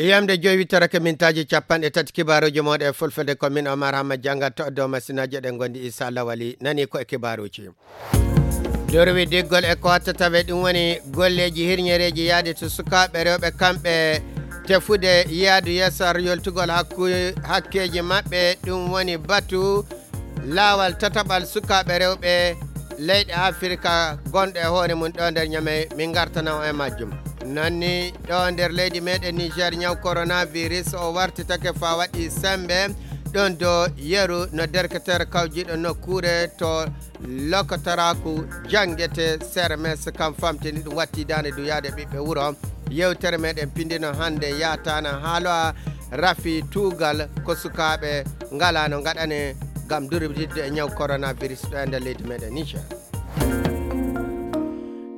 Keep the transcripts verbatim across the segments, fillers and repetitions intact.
Yamde joyi wittorake mintaaji capanɗe tati kibaaruuji mooɗon e fulfulde, ko min Omar Hamma Janga to dow masinaaji ɗen ngondi Isa Lawali nani ko e kibaaruuji. Durwi diggol e ko watta tawe ɗum woni golleeji hirñereeji yaade to sukaaɓe rewɓe kamɓe tefude yaadu yeeso yoltugol hakku-, hakkeeji maɓɓe, ɗum woni batu laawal tataɓal sukaaɓe rewɓe leyɗe Afirka gonɗo e hoore mum ɗo nder Ñamey, min ngartana on e majjum. Noon ni ɗo nder leydi meɗen Niger, ñaw coronavirus o wartitake faa waɗi sembe ɗon do yeru no derketeer kawjiiɗo nokkuure to lokotoraaku janngete C R M S kam famtini ɗum watti daande duyaade ɓiɓɓe wuro. Yewtere meɗen pindino hannde yaataana haalo a rafi tuugal ko sukaaɓe ngalaa no ngaɗane ngam durwididde e ñaw coronavirus ɗo e nder leydi meɗen Niger.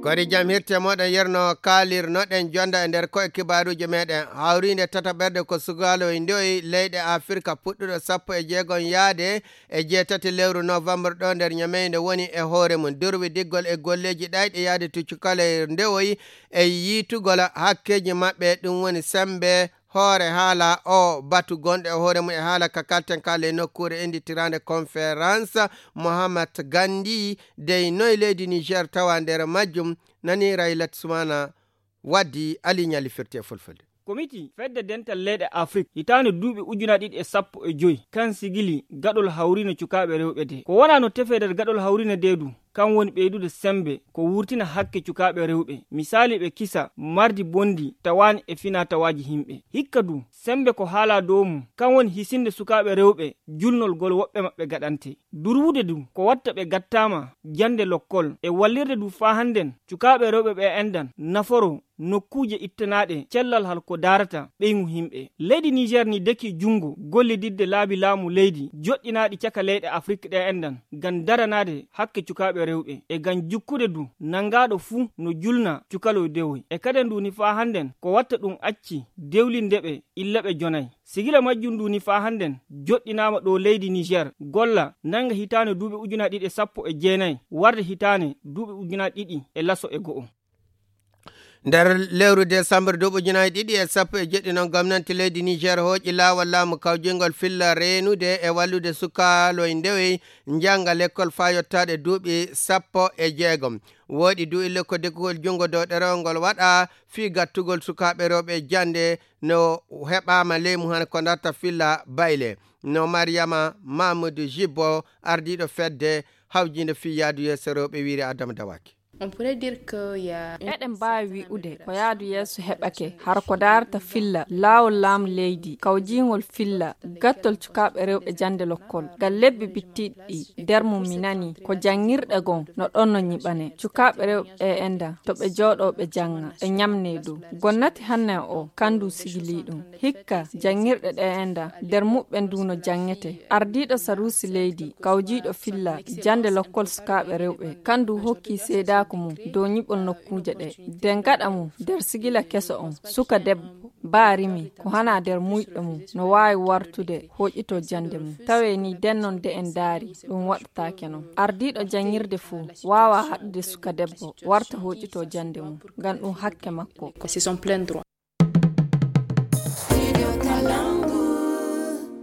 Kori jam hirte moɗon yerno kaalirnoɗen jonda e nder koye kibaaruuji meɗen. Hawriinde tataɓerde ko sukaalo e ndoyi leyɗe Afirka puɗɗuɗo sappo e jeegom yaade e jeetati lewru novembre ɗo nder Ñamey nde woni e hoore mum. Durwi diggol e golleeji ɗayɗe yaade to cukalel ndewoyi e yiitugol hakkeeji maɓɓe, ɗum woni sembe hoore haala o batu gonɗo e hoore mum e haala ka kalten ka ley nokkuure innditiraande conférence Mohamed Gandhi dey noy leydi Niger tawa nder majjum, nani Raylat Sumana waddi Ali Ñali firti e fulfulde. Komiti fedde dental leyɗe Afrik hitaande duuɓi ujunaaji ɗiɗi e sappo e joy kan sigili gaɗol hawriino cukaaɓe rewɓe de. Ko wonaa no tefee nder gaɗol hawriino de du, kan woni ɓeydude sembe ko wurtina hakke cukaaɓe rewɓe. Misaali ɓe kisa mardi bondi tawaani e finaa tawaaji himɓe. Hikka du, sembe ko haalaa dow mum, kan woni hisinde sukaaɓe rewɓe julnol gol woɓɓe maɓɓe gaɗante. Durwude du, ko watta ɓe gattaama jannde lokkol e wallirde du faa hannden cukaaɓe rewɓe ɓe endan naforo nokkuuje ittanaaɗe cellal hal ko daarata ɓeyngu himɓe. Leydi Niger ni deki junngo gollididde laabi laamu leydi joɗɗinaaɗi caka leyɗe Afrik ɗe endan ngam daranaade hakke cukaaɓe rewɓe e ngam jukkude du nanngaaɗo fuu no julna cukaloy dewoy. E kaden du ni faa hannden ko watta ɗum acci dewlinde ɓe illa ɓe jonay. Sigila majjum ndu ni faa hannden joɗɗinaama ɗo leydi Niger golla nannga hitaande duuɓi ujunaaji ɗiɗi e sappo e jeenayi warde hitaande duuɓi ujunaaji ɗiɗi e laso e go'o. Nder lewru décembre duuɓi ujunaaji ɗiɗi e sappo e jeɗɗi noon, gomnanti leydi Niger hooƴi laawol laamu kawjingol filla reenude e wallude sukaaloy ndewey njannga lekkol faa yottaade duuɓi sappo e jeegom. Wooɗi du ille ko dekkugol junngo dow ɗerewol ngol waɗa fii gattugol sukaaɓe rewɓe jannde no heɓaama leymu hano ko darta filla bayle. No Mariama Mamadou Jibbo, ardiiɗo fedde hawjiinde fii yaadu yeeso rewɓe wiiri Adama Dawaki. On pourrait dire que y a une Eɗen mbaawi wi'ude ko yaadu yeeso heɓake hara ko daarata filla laawol laamu leydi, kawjiingol filla gattol cukaaɓe rewɓe jannde lokkol. Ngal lebbi bittiiɗi ɗi, nder mum mi nani ko janngirɗe gon no ɗon no ñiɓane. Cukaaɓe rewɓe e enda to ɓe jooɗoo ɓe jannga, ɓe ñamnee dow. Gonnati hanne o, kandu sigilii ɗum. Hikka, janngirɗe ɗe enda, nder muɓɓen du no janngete. Ardiiɗo saruusi leydi, kawjiiɗo filla, jannde lokkol sukaaɓe rewɓe, kandu hokki seedaaku mum dow ñiɓol nokkuuje ɗe. Nden gaɗa mum, nder sigila keso on, suka debbo, baa rimi, ko hana nder muyɗo mum, no waawi wartude, hoƴito jannde mum. Tawee ni den non de en daari, ɗum waɗataake non. Ardiiɗo janngirde fuu, waawaa haɗude suka debbo, warta hoƴito jannde mum, ngam ɗum hakke makko. C'est son plein droit.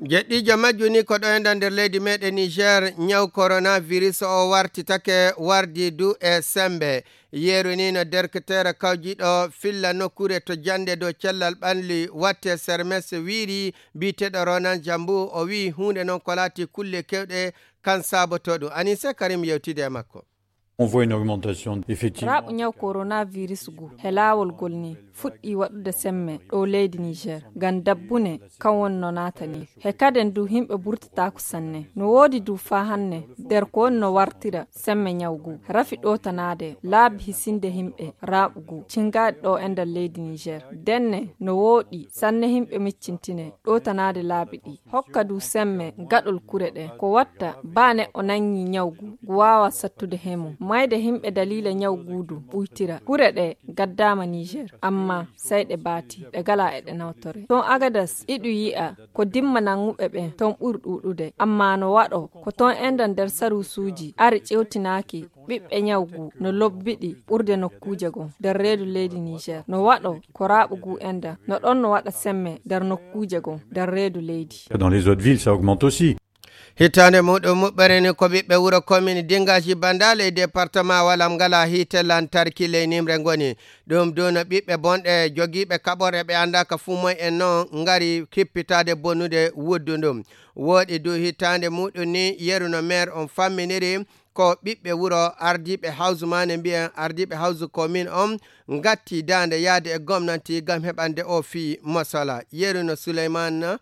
Jeɗɗiijo majju ni ko ɗo e nder leydi meɗen Niger, ñaw coronavirus o wartitake wardi du e sembe. Yeru ni no derketeere kawjiiɗo filla nokkuure to jannde dow cellal ɓalli watte sermes wiiri, biyeteeɗo Ronan Jambu, o wi'i huunde noon ko laati kulle kewɗe kan saabotoo ɗum. Anise Karim yewtide e makko. On voit une augmentation, effectivement. Raaɓu ñaw coronavirus ngu he laawol ngol ni fuɗɗii waɗude semme ɗo leydi Niger, ngam dabbune kan woni no naatani. He kaden du yimɓe burtataako sanne. No woodi du faa hanne nder ko woni no wartira semme ñaw ngu. Rafi ɗootanaade laabi hisinde yimɓe raaɓu ngu cingaaɗi ɗo e nder leydi Niger. Denne no wooɗi sanne yimɓe miccintine ɗootanaade laabi ɗi. Hokka du semme gaɗol kure ɗe. Ko watta baa neɗɗo nanngii ñaw ngu, ngu waawa sattude he mum. Mayde himɓe daliila ñaw guudu ɓuytira. Kure ɗe gaddaama Niger, amma sey ɗe baati, ɗe gala e ɗe nawtore. Ton Agadas, iɗu yi'a ko dimma nanguɓe ɓen ton ɓuri ɗuuɗude. Amma no waɗo ko ton enda nder saruusuuji ari ƴewtinaaki ɓiɓɓe ñawgu no lobbiɗi ɓurde nokkuuje gon nder reedu leydi Niger. No waɗo ko raaɓugu enda no ɗon no waɗa semme nder nokkuuje gon nder reedu leydi. Dans les autres villes, ça augmente aussi. Hitaande muɗum muɓɓere ni ko ɓiɓɓe wuro commune Dingaji Bandale e département Walam ngala hiite lantarki ley nimre ngoni. Ɗum du no ɓiɓɓe bonɗe jogiiɓe kaɓorɗe ɓe anndaaka fuu moy en non ngari kippitaade bonnude wuddu ndum. Wooɗi du hitaande muɗum ni yeru no maire on famminiri ko ɓiɓɓe wuro ardiiɓe hawsu maane mbiyen ardiiɓe hawsu commune on ngatti daande yaade e gomnanti ngam heɓande o fii mosala. Yeru no Suleymaan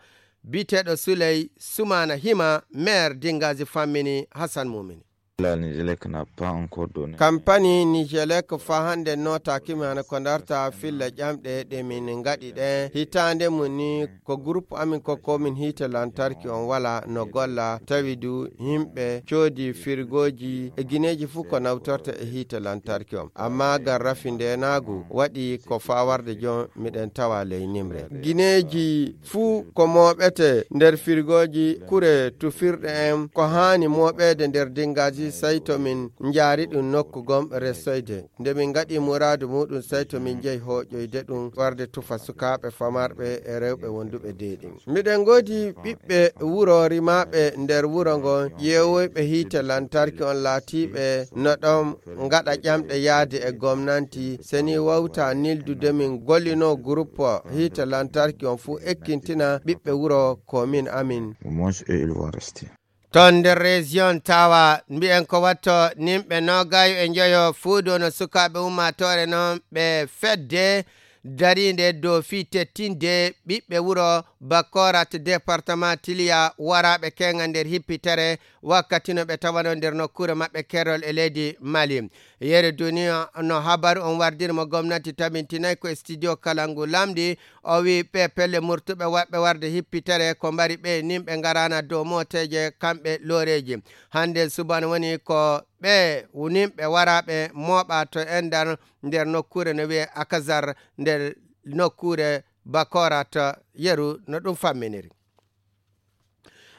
biteeɗo Suley Sumaana Hima, maire Dingazi fammini Hassan Mumini. La Nigelec n'a pas encore donné. Kampani Nigelec fa hannde nootaaki mi hana ko ndarta filla ƴamɗe ɗe min ngaɗi ɗe. Hitaande mum ni ko groupe amin ko komin hiite lantarki on wala no golla, tawi du yimɓe coodi firgooji e gineeji fuu ko nawtorta e hiite lantarki on. Amma ngam rafi ndeenaagu waɗi ko faa warde jon miɗen tawa ley nimre. Gineeji fuu ko mooɓete nder firgooji kure tufirɗe en ko haani mooɓeede nder Dingaji, sey to min njaari ɗum nokku gom resoyde. Nde min ngaɗi muraadu muɗum, sey to min njehi hooƴoyde ɗum warde tufa sukaaɓe famarɓe e rewɓe wonduɓe deeɗi. Miɗen ngoodi ɓiɓɓe wuro rimaaɓe nder wuro ngon, ƴeewoyɓe hiite lantarki on laatiiɓe no ɗon ngaɗa ƴamɗe yaade e gomnanti. Seni wawta nildude min gollino groupe hiite lantarki on fuu ekkintina ɓiɓɓe wuro komin amin. Au moins, eux, ils vont rester. Ton nder région tawa mbiyen ko watto nimɓe nogayo e njoyo fuu dono sukaaɓe ummaatoore non ɓe fedde dariinde dow fii tettinde ɓiɓɓe wuro Bakorat, département Tiliya, waraaɓe keŋa nder hippitere wakkati no ɓe tawano nder nokkuure maɓɓe kerol e leydi Mali. Yeru duniya no habaru on wardiri mo gomnati tabintinay ko e studio Kalangu Lamdi. O wi ɓe pelle murtuɓe waɓɓe warde hippitere ko mbari ɓe nimɓe ngarana dow mooteeje kamɓe looreeji. Hannde suban woni ko ɓe nimɓe waraaɓe mooɓa to endar nder nokkuure no wiye Akazar nder nokkuure Bakorat. Yeru no ɗum famminiri.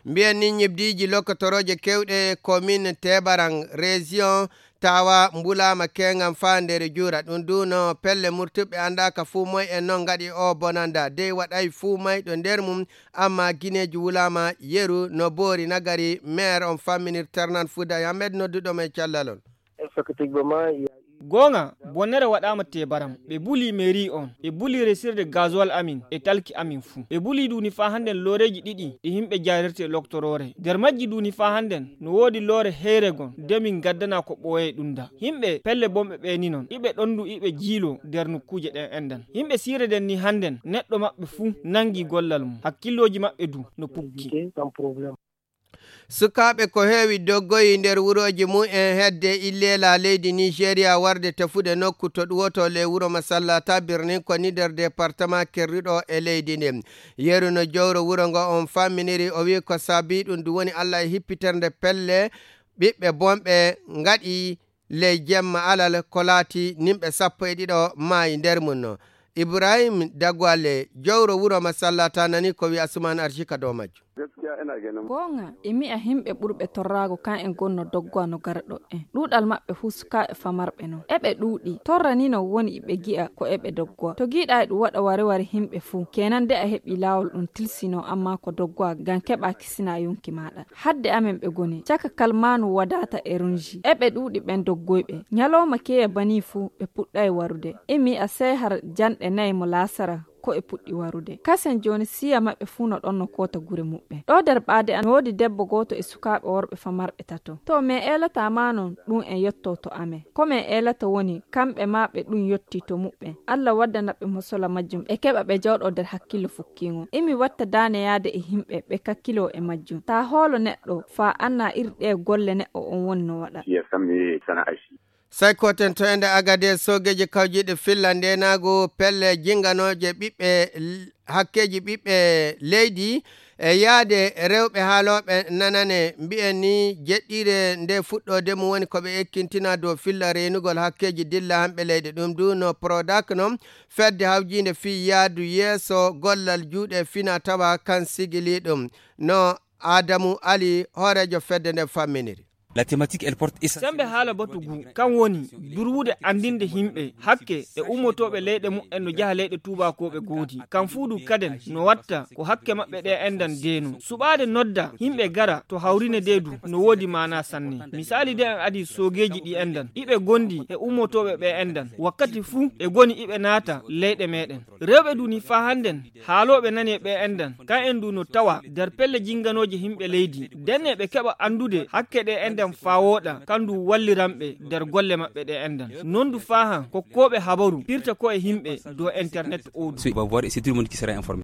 Mbiyen ni ñibdiiji lokkotorooje kewɗe commune Tebaran région tawa mbulaama keŋan faa nder juura. Ɗum du no pelle murtuɓe anndaaka fuu moy en non ngaɗi o bonanda. Dey waɗay fuu mayɗo nder mum, amma gineeji wulaama yeru no boori nagari. Maire on famminir Ternan Fuday Ahmed nodduɗo mo e callal on. Effectivement, il y a eu Goonga, bonnere waɗaama Tebaram. Ɓe buli mairie on, ɓe buli resirde gasoil amin e talki amin fuu. Ɓe buli duuni faa hannden looreeji ɗiɗi ɗi himɓe jaarirte loktoroore. Nder majji duuni faa hannden no woodi loore heyre gon de min ngaddana ko ɓooyay ɗum da. Himɓe pelle bonɓe ɓe ni non, iɓe ɗondu iɓe jiilo nder nokkuuje ɗen endan. Himɓe siire den ni hannden neɗɗo maɓɓe fuu nangi gollal mum. Hakkillooji maɓɓe du no pukki. Sans problème. Sukaaɓe ko heewi doggoyi nder wurooji mum en hedde Illeela leydi Nigeria warde tefude nokku to ɗuwoto ley wuro Masallata birnin ko ni nder departement kerruɗo e leydi ndin. Yeru no jowro wuro ngo on famminiri, o wi ko saabi ɗum, ɗum woni Allah e hippiternde pelle ɓiɓɓe bonɓe ngaɗi ley jemma alal ko laati nimɓe sappo e ɗiɗo maayi nder mum no. Ibrahim Dagwale, jowro wuro Masallata nani ko wi Asuman Arjika dow majjum. Goonga, e mi'a himɓe ɓurɓe torraago kan en gonno doggowa no gara ɗo en. Ɗuuɗal maɓɓe fuu sukaaɓe famarɓe non. Eɓe ɗuuɗi, torra ni non woni iɓe gi'a ko eɓe doggowa. To giɗa e ɗum waɗa wari wari himɓe fuu, kenan de a heɓi laawol ɗum tilsino amma ko doggowa ngam keɓa kisina yonki maaɗa. Hadde amen ɓe goni, caka kalmaanu wadaata e runji. Eɓe ɗuuɗi ɓen doggoyɓe. Ñalawma keya banii fuu ɓe puɗɗay warude. Imi a sey har janɗe nay mo laasara ko e puɗɗi warude. Kasen jooni siya maɓɓe fuu no ɗon no koota gure muɓɓen. Ɗo nder ɓaade an woodi debbo gooto e sukaaɓe worɓe famarɓe tato. To min eelata ma non ɗum en yotto to amen. Ko min eelata woni kamɓe ma ɓe ɗum yotti to muɓɓen. Allah waddana ɓe mosola majjum ɓe keɓa ɓe jawɗo nder hakkillo fukkiingo. Imi watta daane yaade e himɓe ɓe kakkilo e majjum. Taa hoolo neɗɗo faa anna iri ɗe golle neɗɗo on woni no waɗa. Iya sammi sana'a shi. Sai koten to ende Agades, soogeeji kawjiiɗi filla ndeenaagu pelle jinganooje ɓiɓɓe l-, hakkeeji ɓiɓɓe leydi e yaade rewɓe haalooɓe nanane mbiyen ni jeɗɗiire nde fuɗɗoode mum woni ko ɓe ekkintina dow filla reenugol hakkeeji dilla hamɓe leyɗe. Ɗum du no Prodac non fedde hawjiinde fii yaadu yeeso gollal juuɗe fina tawa kan sigili ɗum no Adamu Ali, hooreejo fedde nden famminiri. La thématique, elle porte essentiellement Sembe haala batu gu, kan woni durwude andinde himɓe hakke e ummotooɓe leyɗe mumen no jaha leyɗe tuubakooɓe goodi. Kan fuu du kaden no watta ko hakke maɓɓe ɗe endan deeno. Suɓaade nodda himɓe gara to hawrine de du no woodi maana sanne. Misaali de en adi soogeeji ɗi endan, iɓe gondi e ummotooɓe ɓe endan. Wakkati fuu e goni iɓe naata leyɗe meɗen. Rewɓe du ni faa hannden, haalooɓe nani e ɓe endan, kan en du no tawa der pelle jinganooje himɓe leydi. Den e ɓe keɓa andude hakke ɗe endan faa wooɗa, kan du walliran ɓe der golle maɓɓe ɗe endan. Non du faa han kokkooɓe habaru pirta ko e himɓe dow internet oo du. C'est, va voir, et c'est tout le monde qui sera informé.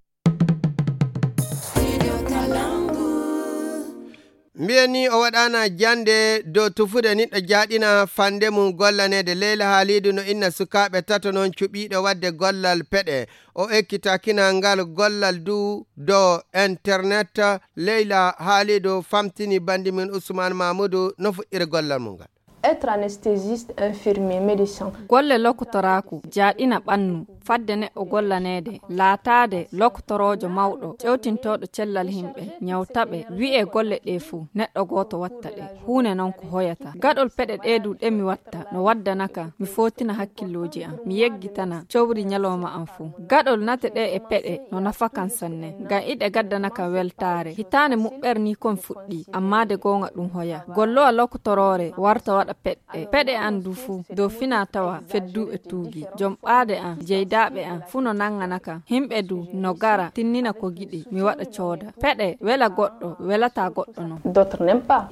Mbiyen ni o waɗaana jannde dow tufude niɗɗo jaaɗina fannde mum gollaneede. Leyla Haaliidu no inna sukaaɓe tato noon cuɓiiɗo waɗde gollal peɗe. O ekkitakina ngal gollal du dow internet. Leyla Haaliidu famtini banndi mum Usmaan Maamuudu no fuɗɗiri gollal mum ngal. Être anesthésiste, infirmier, médecin. Golle lokotoraaku, jaaɗina ɓannu, fadde neɗɗo gollaneede, laataade lokotoroojo mawɗo, ƴewtintooɗo cellal himɓe, ñawta ɓe, wi'ee golle ɗee fuu, neɗɗo gooto watta ɗe. Huune non ko hoyata. Gaɗol peɗe ɗee du ɗe mi watta, no waddana ka, mi footina hakkillooji am, mi yeggitana cowri ñalooma am fuu. Gaɗol nate ɗee e peɗe no nafa kan sanne, ngam iɗe gaddana kan weltaare. Hitaande muɓɓere ni kon fuɗɗi, amma de goonga ɗum hoya. Gollowa lokotoroore warta waɗa peɗe. Peɗe an du fu, dow fina tawa fedduɓe tuugi. Jom ɓaade an, jeydaaɓe an, fu no nangana kan. Himɓe du no gara, tinnina ko giɗi, mi waɗa cooda. Peɗe, wela goɗɗo, welata goɗɗo non. D'autres n'aiment pas.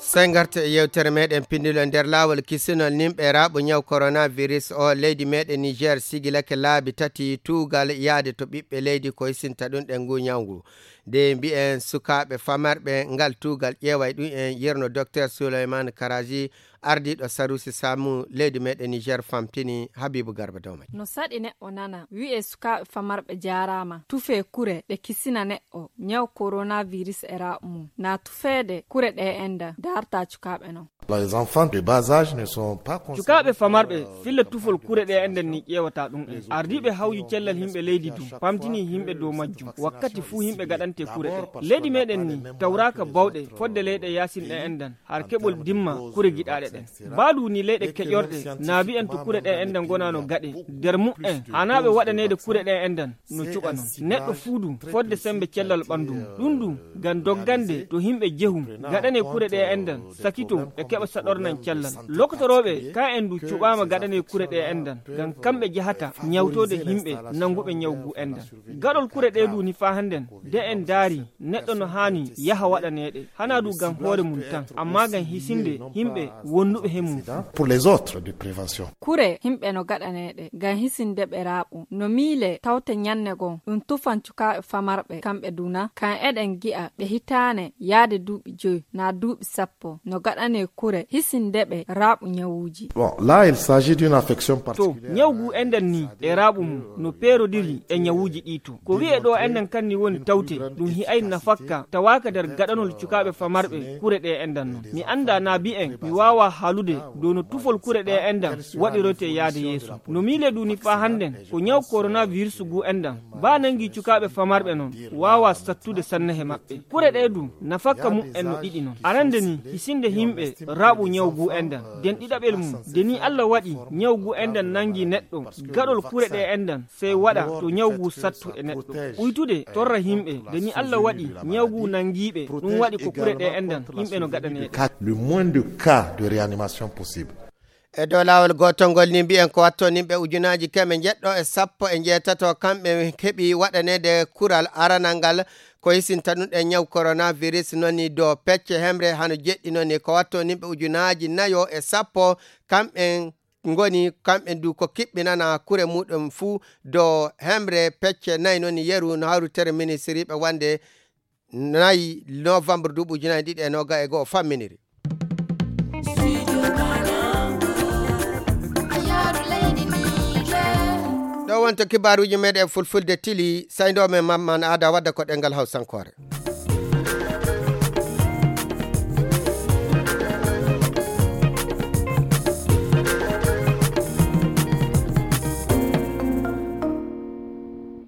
Sey ngarte e yewtere meɗen pindilo nder laawol kisinol nimɓe raaɓo ñaw coronavirus o. Leydi meɗen Niger sigilake laabi tati tuugal yaade to ɓiɓɓe leydi ko hisinta ɗum ɗen ngu ñaw ngu. Nde mbi'en sukaaɓe famarɓe ngal tuugal ƴeeway ɗum en yerno Docteur Souleymane Karaji, ardiiɗo sarusi samu leydi meɗen Niger famtini Habibu Garba Dawmay. No saɗi neɗɗo nana wi'e sukaaɓe famarɓe jaaraama, tufee kure ɗe kisina neɗɗo ñaw coronavirus e raaɓo mum. Na tufeede kure ɗe enda daarta cukaaɓe non. Les enfants de bas âge ne sont pas concernés. Cukaaɓe famarɓe filla tufol kure ɗe enden ni ƴeewata ɗum en. Ardiiɓe hawju cellal himɓe leydi du pamtini himɓe dow majjum. Wakkati fuu himɓe gaɗante kure ɗe. Leydi meɗen ni tawraaka bawɗe fodde leyɗe yaasin ɗe endan. Har keɓol dimma kure giɗaaɗe ɗen. Baadu ni leyɗe keƴorɗe, naabi en to kure ɗe enɗan gonano gaɗe. Nder mu'en, hanaaɓe waɗaneede kure ɗe enɗan, no cuɓa non. Neɗɗo fuu du, fodde sembe cellal ɓandu mum. Ɗum du, ngam doggande to himɓe jehu, gaɗane kure ɗe enɗan, sakito e keɓa saɗornan cellal. Lokotorooɓe, ka en du cuɓaama gaɗane kure ɗe enɗan, ngam kamɓe jahata ñawtoode himɓe nanguɓe ñaw gu enɗan. Gaɗol kure ɗe du ni faa hannden, de en daari, neɗɗo no haani yaha waɗaneeɗe, hanaa du ngam hoore mum tan, ammaa ngam hisinde himɓe wonduɓe he mum. Pour les autres de prévention. Kure himɓe no gaɗaneeɗe ngam hisinde ɓe raaɓu. No miile tawte ñanne goo, ɗum tufan cukaaɓe famarɓe kamɓe duna, kan eɗen gi'a ɓe hitaane yaade duuɓi joy, naa duuɓi sappo, no gaɗanee kure hisinde ɓe raaɓu ñawuuji. Bon, là, il s'agit d'une affection. To, particulière. Ñaw gu enɗan ni e raaɓu mum no peerodiri e ñawuuji ɗi to. Ko wi'e ɗo enɗan kan ni woni tawte, ɗum hi'ay nafakka, tawaaka nder gaɗanol cukaaɓe famarɓe kure ɗe enɗan non. Mi anndaa naa mbi'en, mi waawaa haalude dow no tufol kure ɗe enɗan waɗiroyte yaade yeeso. No miile du ni faa hannden, ko ñaw coronavirus gu enɗan, baa nangi cukaaɓe famarɓe non, waawaa sattude sanne he maɓɓe. Kure ɗe du, nafakka mum en no ɗiɗi non. Arande ni, hisinde himɓe raaɓu ñaw gu enɗan. Den ɗiɗaɓel mum, de ni Alla waɗi ñaw gu enɗan nangi neɗɗo, gaɗol kure ɗe enɗan, sey waɗa to ñaw gu sattu e neɗɗo. Uytude torra himɓe, de ni Alla waɗi ñaw gu nangiiɓe, ɗum waɗi ko kure ɗe enɗan, himɓe no gaɗaneede. Le moins de cas de réanimation possible. E dow laawol gootol ngol ni mbi'en ko watto nimɓe ujunaaji keme njeɗɗo e sappo e njeetato kamɓe keɓi waɗaneede kural aranal ngal ko hisinta ɗum ɗe ñaw coronavirus, noon ni dow pecce hemre hano jeɗɗi, noon ni ko watto nimɓe ujunaaji nayo e sappo kamɓe ngoni, kamɓe du ko kiɓɓinana kure muɗum fuu dow hemre pecce nayi, noon ni yeru no hawritere ministiriiɓe wonde nayi novembre duuɓi ujunaaji ɗiɗi e noga e goo famminiri. Ɗo wonto kibaaruuji meɗen fulfulde tili, sayndoo men Mamman Aada wadda ko ɗenngal Hawsankoore.